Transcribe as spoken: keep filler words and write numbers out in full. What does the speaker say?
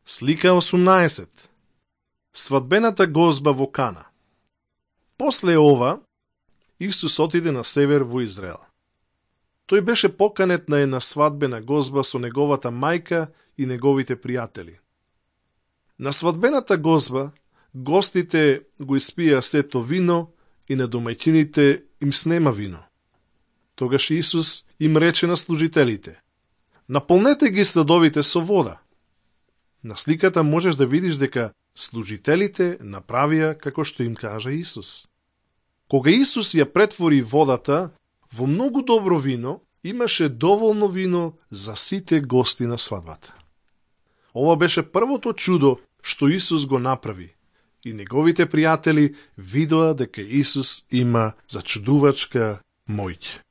Слика осумнаесет. Свадбената гозба во Кана. После ова, Исус отиде на север во Израел. Тој беше поканет на една свадбена гозба со неговата мајка и неговите пријатели. На свадбената гозба, гостите го испија сето вино и на домаќините им снема вино. Тогаш Исус им рече на служителите: наполнете ги садовите со вода. На сликата можеш да видиш дека служителите направија како што им кажа Исус. Кога Исус ја претвори водата во многу добро вино, имаше доволно вино за сите гости на свадбата. Ова беше првото чудо што Исус го направи и неговите пријатели видоа дека Исус има зачудувачка моќ.